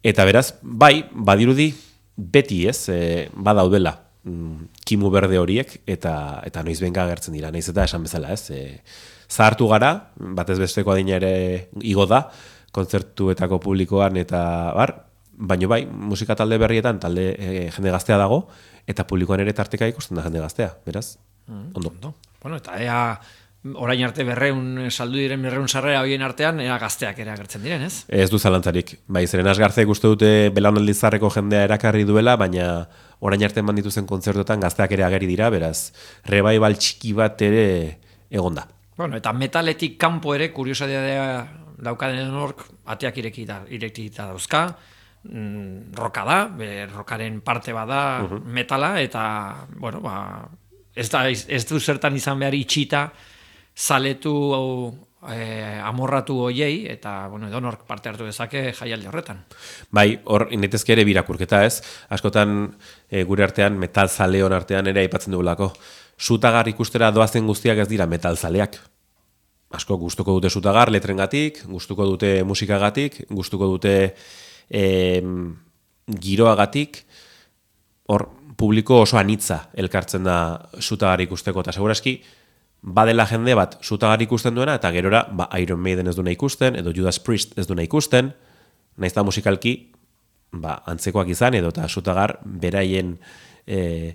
Eta beraz, bai, badirudi beti ez, e, badaudela mm, kimu berde horiek, eta eta noiz benga agertzen dira, naiz eta esan bezala, ez. E, zahartu gara, batez besteko adina ere igo da, kontzertuetako publikoan eta bar, baino bai, musika talde berrietan talde e, jende gaztea dago, eta publikoan ere tarteka ikusten da jende gaztea, beraz, Mm, ondo. ondo. Bueno, eta ea orain arte berreun saldu diren berreun sarrera hoien artean ea gazteak ere agertzen diren, ez? Ez du zalantzarik. Bai, zeren Asgarzek uste dute belaunaldi zarreko jendea erakarri duela, baina orain arte eman dituzen kontzertotan gazteak ere ageri dira, beraz, revival txiki bat ere egonda. Bueno, eta metaletik kanpo ere kuriosidadea daukaden hork ateak irekita irekita dauzka. Mm, roka da, be, rokaren parte bada uh -huh. metala, eta bueno, ba, ez, da, ez du zertan izan behar itxita zaletu hau, e, amorratu hoiei, eta bueno, edonork parte hartu dezake jaialdi horretan. Bai, hor inetezke ere birakurketa, ez? Askotan e, gure artean, metal zaleon artean ere aipatzen dugulako. Sutagar ikustera doazen guztiak ez dira metal zaleak. Asko gustuko dute sutagar letrengatik, gustuko dute musikagatik, gustuko dute e, giroagatik, hor publiko oso anitza elkartzen da sutagar ikusteko, eta seguraski badela jende bat sutagar ikusten duena, eta gerora ba, Iron Maiden ez duena ikusten, edo Judas Priest ez duena ikusten, nahiz da musikalki ba, antzekoak izan, edo eta sutagar beraien e,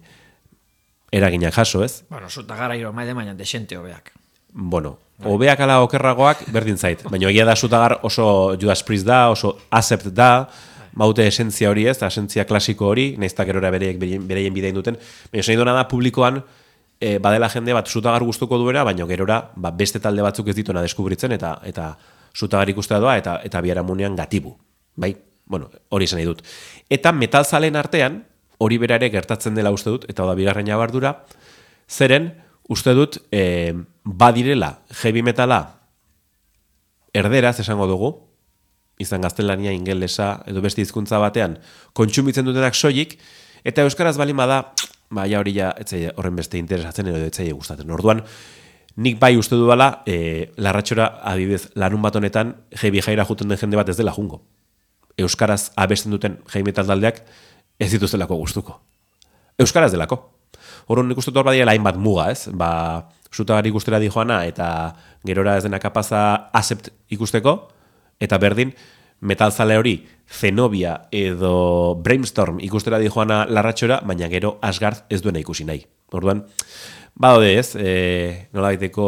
eraginak jaso, ez? Bueno, sutagar Iron Maiden baina desente hobeak. Bueno, hobeak ala okerragoak berdin zait, baina egia da sutagar oso Judas Priest da, oso Accept da, baute esentzia hori ez, esentzia klasiko hori, nahiz da gerora bereiek bereien bidein duten, baina esan duna da publikoan e, badela jende bat sutagar gustuko duena, baina gerora ba, beste talde batzuk ez dituna deskubritzen, eta eta sutagar ikustea doa, eta eta biharamunean gatibu, bai? Bueno, hori esan nahi dut. Eta metalzalen artean, hori bera ere gertatzen dela uste dut, eta da bigarren jabardura, zeren, uste dut, e, badirela heavy metala erderaz esango dugu, izan gaztelania, ingelesa, edo beste hizkuntza batean, kontsumitzen dutenak soilik, eta euskaraz balin bada, baina hori ja, etzaile horren beste interesatzen, edo etzaile gustatzen. Orduan, nik bai uste dudala, e, larratxora adibidez, larun bat honetan, heavy jaira juten den jende bat ez dela jungo. Euskaraz abesten duten heavy metal taldeak ez dituztelako gustuko. Euskaraz delako. Horren nik uste dut hor badiela hainbat muga, ez? Ba, sutagar ikustera di joana, eta gerora ez dena kapaza Accept ikusteko, eta berdin, metalzale hori Zenobia edo Brainstorm ikustera di joana larratxora, baina gero Asgard ez duena ikusi nahi. Orduan, badaude ez, e, nola daiteko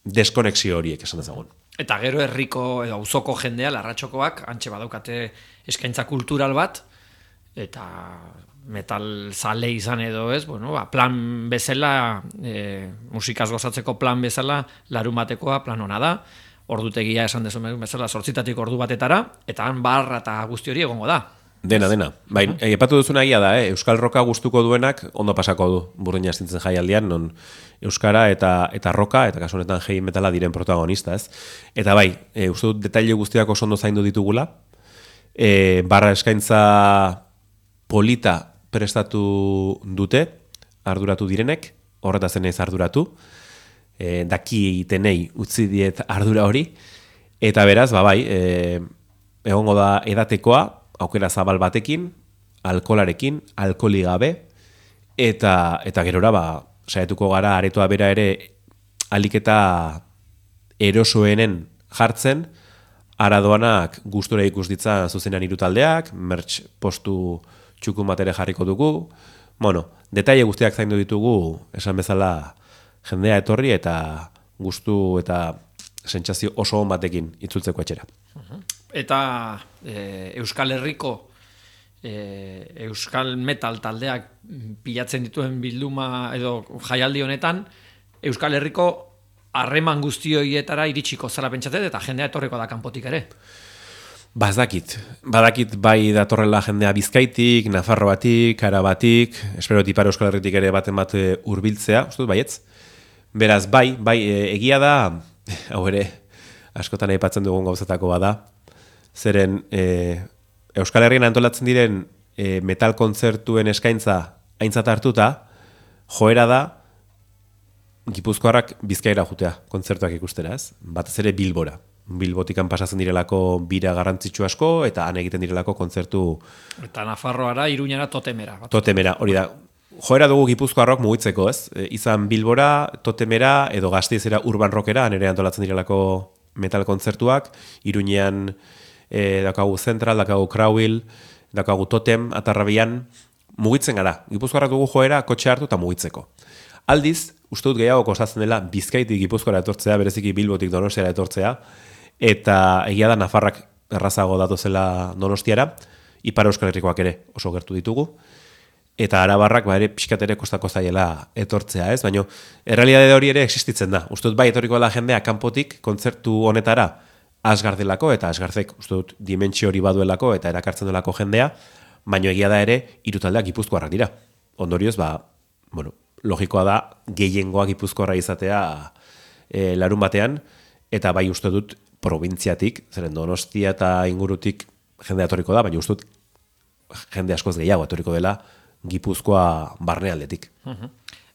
deskonexio horiek esan dezagun. Eta gero herriko edo auzoko jendea, larratxokoak, antxe badaukate eskaintza kultural bat, eta metal zale izan edo ez, bueno, ba, plan bezala, e, musikaz gozatzeko plan bezala, larun batekoa plan hona da, ordutegia esan dezu bezala, zortzitatik ordu batetara, eta han barra eta guzti hori egongo da. Dena, dena. Bai, uh-huh. Epatu duzuna egia da, eh? Euskal roka gustuko duenak ondo pasako du Burdina astintzen jaialdian, non euskara eta eta roka, eta kasu honetan heavy metala diren protagonista, ez? Eta bai, e, uste dut detaile guztiak oso ondo zaindu ditugula, e, barra eskaintza polita prestatu dute, arduratu direnek, horretaz naiz arduratu, e, daki tenei utzi diet ardura hori, eta beraz, ba bai, e, egongo da edatekoa, aukera zabal batekin, alkolarekin, alkoli gabe, eta eta gerora ba saiatuko gara aretoa bera ere aliketa erosoenen jartzen, aradoanak gustura ikus ditza zuzenean hiru taldeak, merch postu txukun bat ere jarriko dugu, bueno, detaile guztiak zaindu ditugu, esan bezala jendea etorri eta gustu eta sentsazio oso on batekin itzultzeko etxera. Eta e, Euskal Herriko e, Euskal Metal taldeak pilatzen dituen bilduma edo jaialdi honetan, Euskal Herriko harreman guzti horietara iritsiko zara pentsatzen eta jendea etorriko da kanpotik ere. Badakit, badakit bai datorrela jendea Bizkaitik, Nafarroatik, Arabatik, espero Ipar Euskal Herritik ere baten bat hurbiltzea, uste dut baietz. Beraz, bai, bai, egia da, hau ere, askotan aipatzen dugun gauzatako bada, zeren e, Euskal Herrian antolatzen diren e, metal kontzertuen eskaintza aintzat hartuta, joera da, Gipuzkoarrak Bizkaira jutea, kontzertuak ikustera, ez? Batez ere Bilbora. Bilbotikan pasatzen direlako bira garrantzitsu asko, eta han egiten direlako kontzertu... Eta Nafarroara, Iruñara, Totemera. Totemera, hori da. Joera dugu Gipuzkoarrok mugitzeko, ez? E, izan Bilbora, Totemera, edo Gasteizera Urban Rockera, han ere antolatzen direlako metal kontzertuak, Iruñean e, dakagu Central, dakagu Crowell, dakagu Totem, Atarrabian, mugitzen gara. Gipuzkoarrak dugu joera, kotxe hartu eta mugitzeko. Aldiz, uste dut gehiago kostatzen dela Bizkaitik Gipuzkoara etortzea, bereziki Bilbotik Donostiara etortzea, eta egia da Nafarrak errazago datozela Donostiara, Ipar Euskal Herrikoak ere oso gertu ditugu, eta Arabarrak ba ere pixkat ere kostako zaiela etortzea, ez? Baina errealitate hori ere existitzen da. Uste dut bai etorriko da jendea kanpotik kontzertu honetara Asgard delako, eta Asgardek uste dut dimentsio hori baduelako eta erakartzen delako jendea, baina egia da ere hiru taldeak Gipuzkoarrak dira. Ondorioz, ba, bueno, logikoa da gehiengoa Gipuzkoarra izatea e, larun batean, eta bai uste dut probintziatik, zeren Donostia eta ingurutik jende atorriko da, baina uste dut jende askoz gehiago atorriko dela Gipuzkoa barnealdetik. Uh-huh.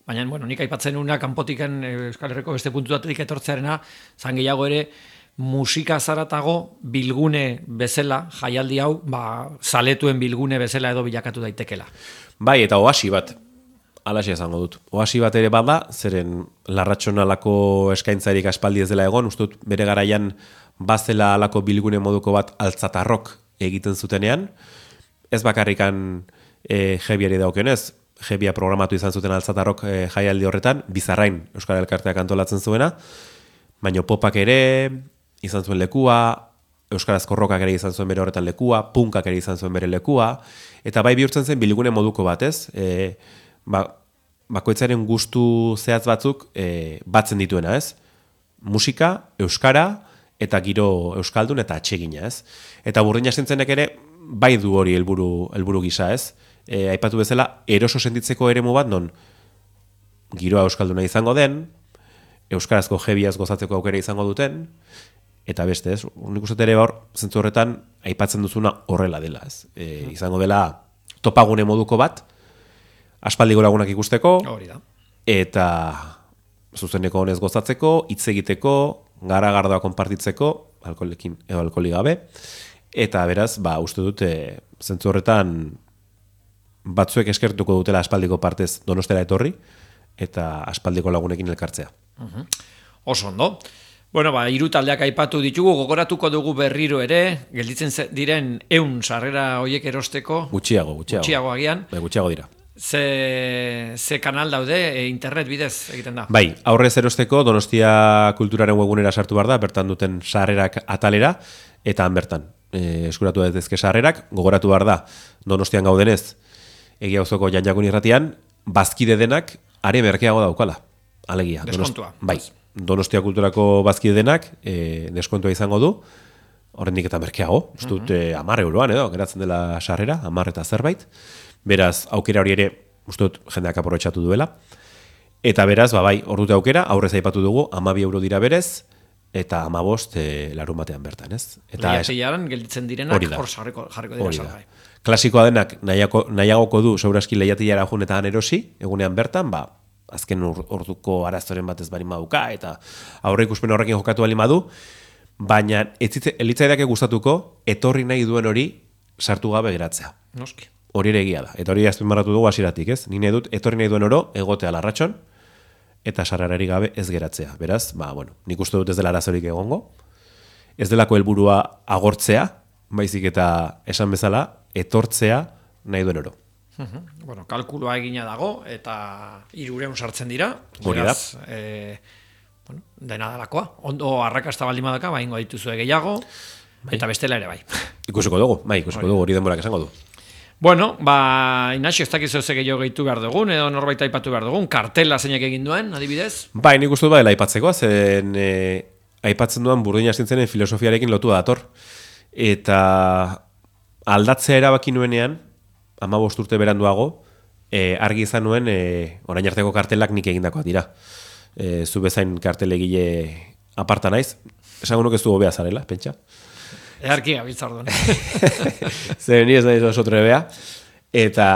Baina, bueno, nik aipatzen una kanpotiken Euskal Herriko beste puntuatik etortzearena, zan gehiago ere musika zaratago bilgune bezala, jaialdi hau, ba, zaletuen bilgune bezala edo bilakatu daitekela. Bai, eta oasi bat, alaxia esango dut. Oasi bat ere bada, zeren larratxonalako eskaintzarik aspaldi ez dela egon, uste dut bere garaian bazela alako bilgune moduko bat altzatarrok egiten zutenean, ez bakarrikan e, jebiari daukenez, jebia programatu izan zuten altzatarrok e, jaialdi horretan, Bizarrain Euskal Elkarteak antolatzen zuena, baina popak ere izan zuen lekua, euskarazko rockak ere izan zuen bere horretan lekua, punkak ere izan zuen bere lekua, eta bai bihurtzen zen bilgune moduko batez, e, ba, bakoitzaren gustu zehatz batzuk e, batzen dituena, ez? Musika, euskara, eta giro euskaldun eta atsegina, ez? Eta Burdina Astintzenek ere bai du hori helburu helburu gisa, ez? E, aipatu bezala, eroso sentitzeko eremu bat non giroa euskalduna izango den, euskarazko jebiaz gozatzeko aukera izango duten, eta beste, ez? Nik uste ere hor, zentzu horretan, aipatzen duzuna horrela dela, ez? E, izango dela topagune moduko bat, aspaldiko lagunak ikusteko, hori da. Eta zuzeneko honez gozatzeko, hitz egiteko, gara-gardoa konpartitzeko, alkoholekin edo alkoholi gabe, eta beraz, ba, uste dut, e, zentzu horretan batzuek eskertuko dutela aspaldiko partez Donostera etorri, eta aspaldiko lagunekin elkartzea. Uh-huh. Oso ondo. Bueno, ba, hiru taldeak aipatu ditugu, gogoratuko dugu berriro ere, gelditzen diren ehun sarrera hoiek erosteko. Gutxiago, gutxiago. Gutxiago agian. Bai, gutxiago dira. Ze, ze kanal daude, e, internet bidez egiten da? Bai, aurrez erosteko Donostia Kulturaren webgunera sartu behar da, bertan duten sarrerak atalera, eta han bertan e, eskuratu daitezke sarrerak, gogoratu behar da Donostian gaudenez, egia auzoko Janjakun irratian, bazkide denak are merkeago daukala. Alegia. Deskontua. Donost, bai, Donostia Kulturako bazkide denak e, deskontua izango du, horrendik eta merkeago, uste dut uh-huh. hamar euroan edo, geratzen dela sarrera, hamar eta zerbait. Beraz, aukera hori ere, uste dut, jendeak aprobetxatu duela. Eta beraz, ba, bai, hor dute aukera, aurrez aipatu dugu, hamabi euro dira berez, eta hamabost e, larun batean bertan, ez? Eta lehiatiaran gelditzen direnak hor jarriko, jarriko dira salgai. Klasikoa denak nahiako, nahiagoko du sobrazki lehiatiara jun eta han erosi, egunean bertan, ba, azken orduko arazoren batez bari maduka, eta aurre ikuspen horrekin jokatu bali madu, baina elitzaidake gustatuko, etorri nahi duen hori sartu gabe geratzea. Noski. Hori ere egia da. Eta hori azpimarratu dugu hasieratik, ez? Ni nahi dut etorri nahi duen oro egotea Larratxon, eta sarrerari gabe ez geratzea. Beraz, ba, bueno, nik uste dut ez dela arazorik egongo, ez delako helburua agortzea, baizik eta esan bezala, etortzea nahi duen oro. Uh-huh. Bueno, kalkulua egina dago, eta hirureun sartzen dira. Hori da. E, bueno, dena dalakoa. Ondo arrakasta baldin badaka, baingo dituzue gehiago, bai. Eta bestela ere bai. Ikusiko dugu, bai, ikusiko dugu, hori denborak esango du. Bueno, ba, Inaxio, ez dakizu ze gehiago gehitu behar dugun, edo norbait aipatu behar dugun, kartela zeinak egin duen, adibidez? Bai, nik uste dut badela aipatzeko, zen e, aipatzen duan Burdin Astintzenen filosofiarekin lotua dator. Eta aldatzea erabaki nuenean, hamabost urte beranduago, e, argi izan nuen, e, orain arteko kartelak nik egindakoak dira. E, zu bezain kartelegile aparta naiz, esango nuke ez du hobea zarela, pentsa. Earki gabiltzar duen. Zer, ni ez naiz oso trebea. Eta,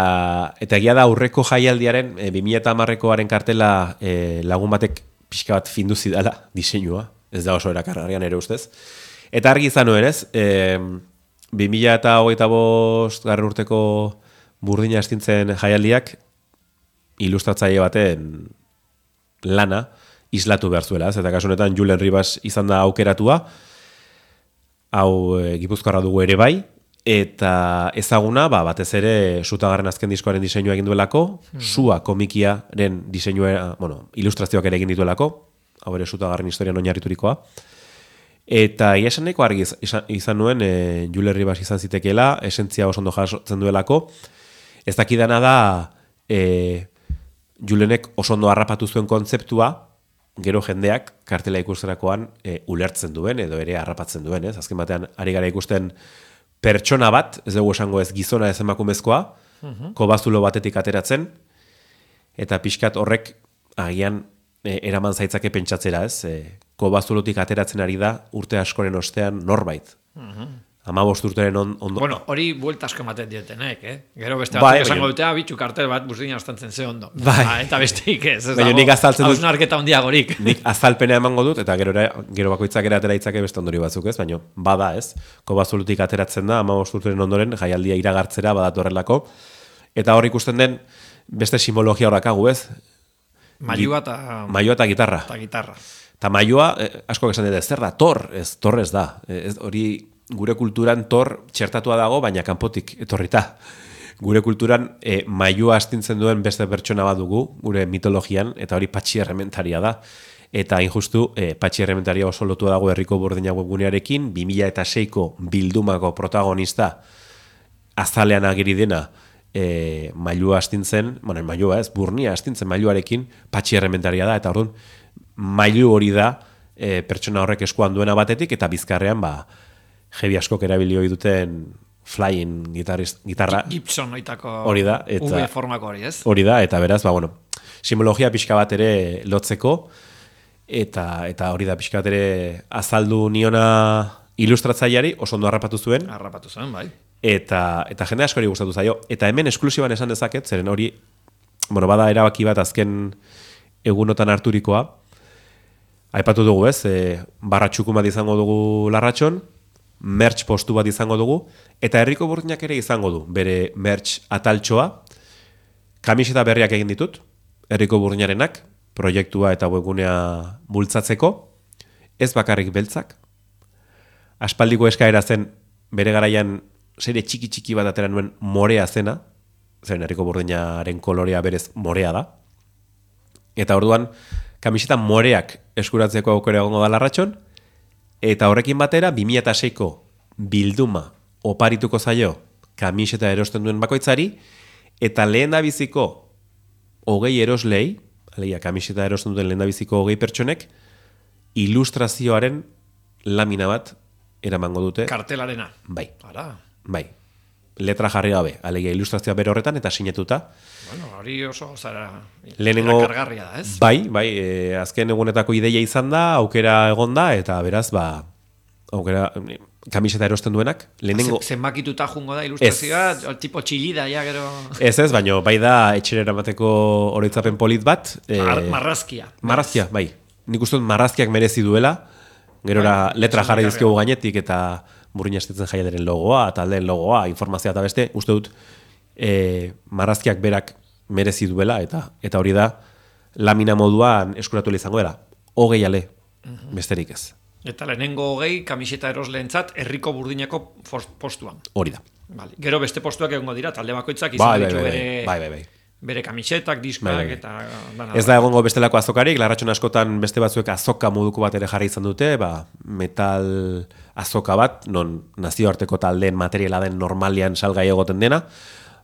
eta egia da aurreko jaialdiaren, e, bi mila hamarrekoaren kartela e, lagun batek pixka bat findu zidala, diseinua, ez da oso erakargarrian ere ustez. Eta argi izan nuen ez, e, bi mila hogeita bost garren urteko Burdin Astintzen jaialdiak ilustratzaile baten lana islatu behar zuela, ez? Eta kasu honetan Julen Ribas izan da aukeratua, hau e, Gipuzkoarra dugu ere bai, eta ezaguna, ba, batez ere Sutagarren azken diskoaren diseinua egin duelako, mm. Sua komikiaren diseinua, bueno, ilustrazioak ere egin dituelako, hau ere Sutagarren historian oinarriturikoa. Eta ia esan nahiko argi izan, izan nuen, e, Julen Ribas izan zitekeela, esentzia oso ondo jasotzen duelako. Ez dakidana da, e, Julenek oso ondo harrapatu zuen kontzeptua, gero jendeak kartela ikusterakoan e, ulertzen duen, edo ere harrapatzen duen, ez? Azken batean, ari gara ikusten pertsona bat, ez dugu esango ez gizona ez emakumezkoa, uh-huh. kobazulo batetik ateratzen, eta pixkat horrek agian e, eraman zaitzake pentsatzera, ez? E, kobazulotik ateratzen ari da urte askoren ostean norbait. Uh-huh. Hamabost urteren on, ondo... Bueno, hori buelta asko ematen dietenek, eh? Gero beste bai, batzuk esango dute, bitxu kartel bat Burdin Astantzen ze ondo. Bai. Ba, eta besteik ez, ez dago, nik azaltzen dut, hausnarketa handiagorik. Nik azalpena emango dut, eta gero, gero bakoitzak ere atera itzake beste ondori batzuk ez, baina bada ez, kobazulutik ateratzen da, hamabost urteren ondoren, jaialdia iragartzera badatorrelako, eta hor ikusten den beste simbologia horrakagu ez. Mailua eta... Mailua eta gitarra. Eta gitarra. Eta mailua, eh, asko esan dut, zer da, tor, ez, tor ez da, ez, hori... Gure kulturan tor txertatua dago, baina kanpotik etorrita. Gure kulturan e, mailua astintzen duen beste pertsona bat dugu, gure mitologian, eta hori Patxi Errementaria da. Eta injustu, e, Patxi Errementaria oso lotua dago Herriko Burdina webgunearekin, bi mila seiko bildumako protagonista azalean agiri dena e, mailua astintzen, bueno, mailua ez, burnia astintzen mailuarekin, Patxi Errementaria da, eta orduan, mailu hori da e, pertsona horrek eskuan duena batetik, eta bizkarrean, ba, jebi askok erabilio duten flying gitarra. Gibson oitako hori da, eta V formako hori, ez? Hori da, eta beraz, ba, bueno, simbologia pixka bat ere lotzeko, eta eta hori da pixka bat ere azaldu niona ilustratzaileari, oso ondo harrapatu zuen. Harrapatu zuen, bai. Eta, eta jende askori gustatu zaio. Eta hemen esklusiban esan dezaket, zeren hori, bueno, bada erabaki bat azken egunotan harturikoa, aipatu dugu ez, e, barra txukun bat izango dugu Larratxon, merch postu bat izango dugu, eta Herriko Burdinak ere izango du, bere merch ataltxoa, kamiseta berriak egin ditut, Herriko Burdinarenak, proiektua eta webgunea bultzatzeko, ez bakarrik beltzak, aspaldiko eskaera zen, bere garaian serie txiki-txiki bat atera nuen morea zena, zen Herriko Burdinaren kolorea berez morea da, eta orduan, kamiseta moreak eskuratzeko aukera egongo da Larratxon, eta horrekin batera, bi mila seiko bilduma oparituko zaio kamiseta erosten duen bakoitzari, eta lehen da biziko hogei eroslei, alegia kamiseta erosten duen lehen da biziko hogei pertsonek, ilustrazioaren lamina bat eramango dute. Kartelarena. Bai. Ara. Bai. Letra jarri gabe, alegia ilustrazioa bere horretan eta sinetuta. Bueno, hori oso zara lehenengo kargarria da, ez? Bai, bai, e, azken egunetako ideia izan da, aukera egon da, eta beraz, ba, aukera, kamiseta erosten duenak, lehenengo... Zenbakituta jungo da ilustrazioa, tipo txilida, ja, gero... Ez ez, baina bai da etxerera bateko oroitzapen polit bat. E, Mar marrazkia. Marrazkia, bai. Nik uste dut marrazkiak merezi duela, gerora bai, letra jarri dizkiogu gainetik, eta Burdin Astintzen jaialdiaren logoa, taldeen logoa, informazioa eta beste, uste dut, e, marrazkiak berak merezi duela, eta eta hori da lamina moduan eskuratu izango dela. Hogei ale, besterik ez. Eta lehenengo hogei kamiseta erosleentzat herriko burdinako postuan. Hori da. Vale. Gero beste postuak egongo dira, talde bakoitzak Bai, izan bai, ditu bai, bere, bai, bai, bai. bere kamisetak, diskoak Bai, bai. eta... Dana, Ez da egongo bestelako azokarik, Larratxon askotan beste batzuek azoka moduko bat ere jarri izan dute, ba, metal azoka bat, non nazioarteko taldeen materiala den normalian salgai egoten dena,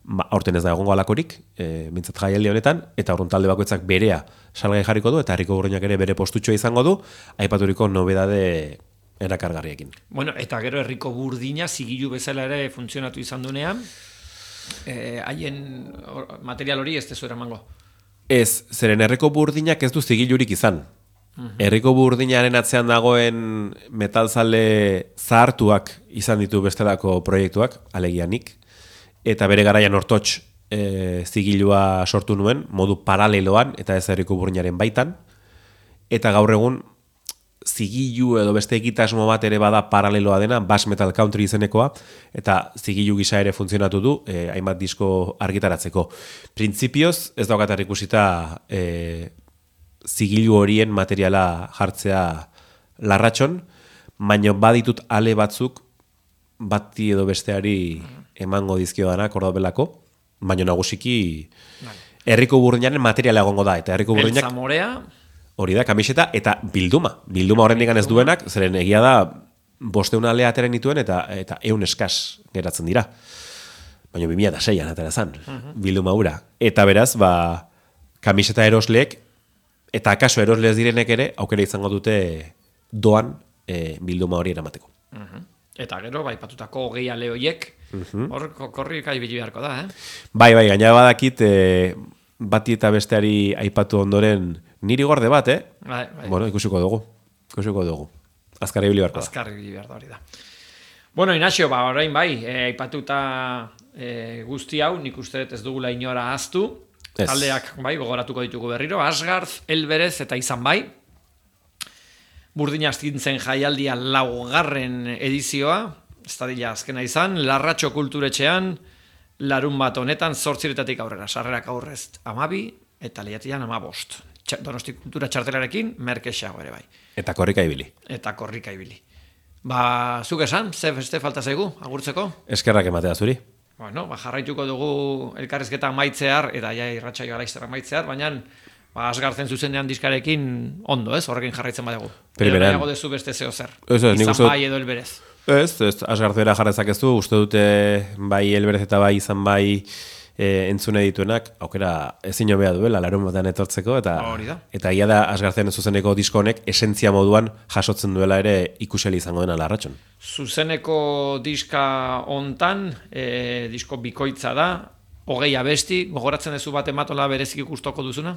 ba, aurten ez da egongo alakorik, e, mintzat jaialdi honetan, eta horren talde bakoitzak berea salgai jarriko du, eta herriko burdinak ere bere postutxoa izango du, aipaturiko nobedade erakargarriekin. Bueno, eta gero herriko burdina zigilu bezala ere funtzionatu izan dunean, haien eh, material hori ez tezu eramango. Ez, zeren herriko burdinak ez du zigilurik izan. Herriko burdinaren atzean dagoen metalzale zahartuak izan ditu bestelako proiektuak, alegianik, eta bere garaian hortotx e, zigilua sortu nuen, modu paraleloan, eta ez herriko burdinaren baitan, eta gaur egun zigilu edo beste egitasmo bat ere bada paraleloa dena, Bass Metal Country izenekoa, eta zigilu gisa ere funtzionatu du, eh, hainbat disko argitaratzeko. Printzipioz, ez daukatar ikusita eh, zigilu horien materiala jartzea Larratxon, baina baditut ale batzuk bati edo besteari emango dizkio danak ordobelako, baina nagusiki herriko burdinaren materiala egongo da, eta herriko burdinak... Beltza morea... Hori da, kamiseta eta bilduma. Bilduma horrendikan ez duenak, zeren egia da bosteun alea ateren dituen eta eta eun eskas geratzen dira. Baina bi mila seian atera zan, bilduma hura. Eta beraz, ba, kamiseta erosleek, eta akaso erosleez direnek ere, aukera izango dute doan e, bilduma hori eramateko. Eta gero, bai, patutako hogei ale hoiek, hor korri ibili beharko da, eh? Bai, bai, gaina badakit, e, bati eta besteari aipatu ondoren, niri gorde bat, eh? Bai, bai. Bueno, ikusiko dugu. Ikusiko dugu. Azkar ibili beharko da. Azkar ibili behar da hori da. Bueno, Inaxio, ba, orain bai, e, aipatuta e, guzti hau, nik uste dut ez dugula inora ahaztu. Ez. Taldeak, bai, gogoratuko ditugu berriro. Asgarth, Elberez eta izan bai. Burdin astintzen jaialdia laugarren edizioa, ez da dila azkena izan, Larratxo kulturetxean, larun bat honetan, zortziretatik aurrera, sarrerak aurrez amabi, eta lehiatian amabost. Donosti kultura txartelarekin, merkexago ere bai. Eta korrika ibili. Eta korrika ibili. Ba, zuk esan, ze beste falta zaigu, agurtzeko? Eskerrak ematea zuri. Bueno, ba, jarraituko dugu elkarrizketa maitzear, eta ja irratsaio alaizterra maitzear, baina ba, Asgartzen zuzenean diskarekin ondo, ez? Horrekin jarraitzen badugu. Primeran. Edo dezu beste zeo zer. Ez, ez, nik izan uste dut- bai edo Elberez. Ez, ez, Asgartzera jarrezak ez du, uste dute bai Elberez eta bai izan bai e, entzune dituenak, aukera ezin hobea duela, larun batean etortzeko, eta Hori da. eta ia da Asgartzen zuzeneko disko honek esentzia moduan jasotzen duela ere ikuseli izango dena Larratxon. Zuzeneko diska hontan, e, disko bikoitza da, hogei abesti, gogoratzen duzu bat ematola berezik ikustoko duzuna?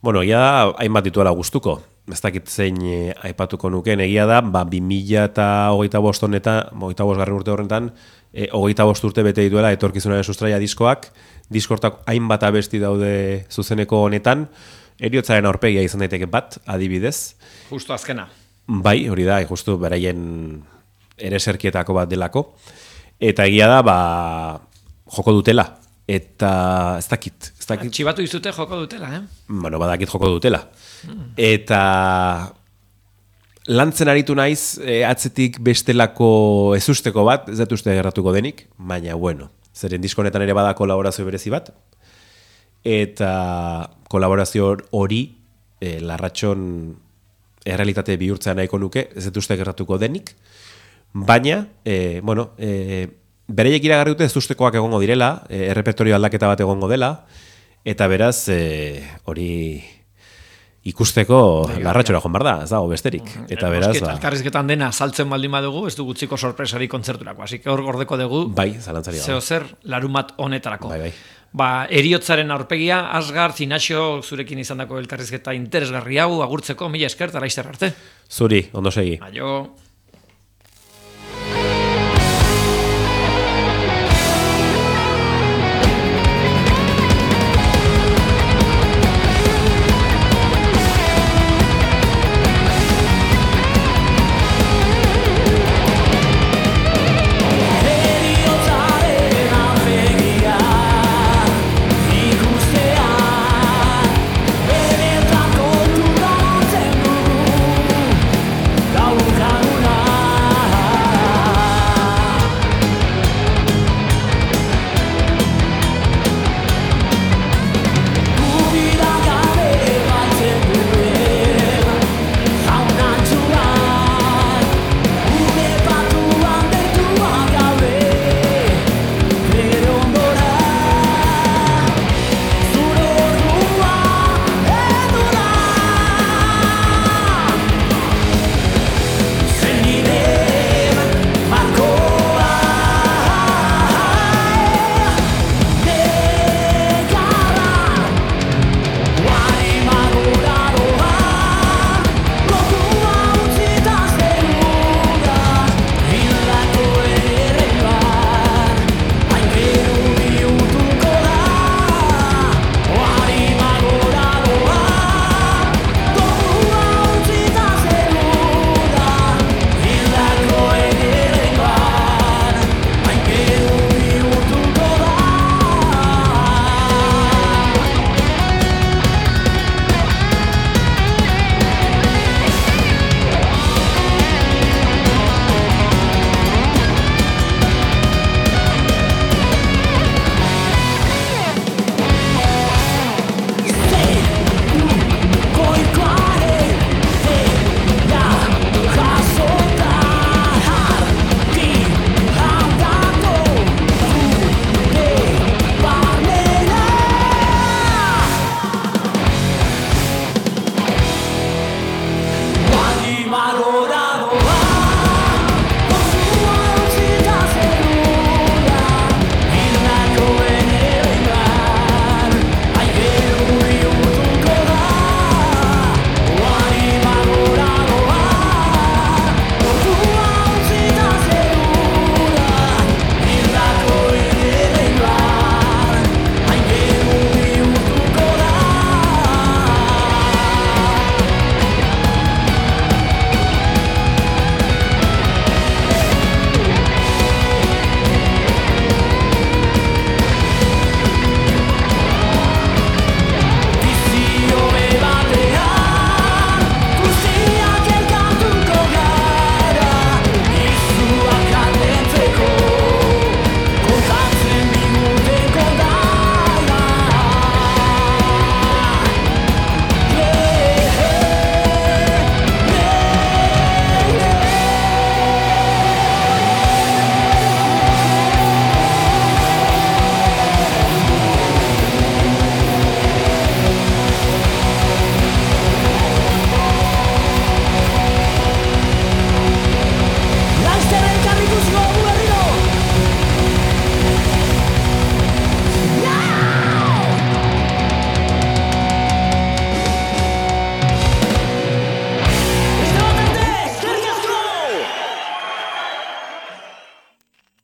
Bueno, egia da, hainbat dituela gustuko. Ez dakit zein e, aipatuko nukeen, egia da, ba, bi mila eta hogeita bost honetan, hogeita bost garren urte horretan, e, hogeita bost urte bete dituela etorkizunaren sustraia diskoak, diskortak hainbat abesti daude zuzeneko honetan, heriotzaren aurpegia izan daiteke bat, adibidez. Justo azkena. Bai, hori da, justu beraien ereserkietako bat delako. Eta egia da, ba, joko dutela. Eta ez dakit, ez dakit. Txibatu izute joko dutela, eh? Bueno, badakit joko dutela. Eta lantzen aritu naiz, e, atzetik bestelako ezusteko bat, ez dut uste gerratuko denik, baina bueno, zeren disko honetan ere bada kolaborazio berezi bat, eta kolaborazio hori e, Larratxon errealitate bihurtzea nahiko nuke, ez dut uste gerratuko denik, baina, e, bueno, e, bereiek iragarri dute ezustekoak egongo direla, e, errepertorio aldaketa bat egongo dela, eta beraz, e, hori ikusteko Larratxora joan behar da, ez dago besterik. Eta beraz, Eta ba, elkarrizketan dena saltzen baldin badugu, ez du gutziko sorpresari kontzerturako. Así que hor gordeko dugu, bai, zalantzari zeo gabe. zer, larumat honetarako. Bai, bai. ba, Heriotzaren aurpegia, Asgarth, Inaxio, zurekin izandako elkarrizketa interesgarri hau, agurtzeko, mila esker, eta laizter arte. Zuri, ondo segi. Aio.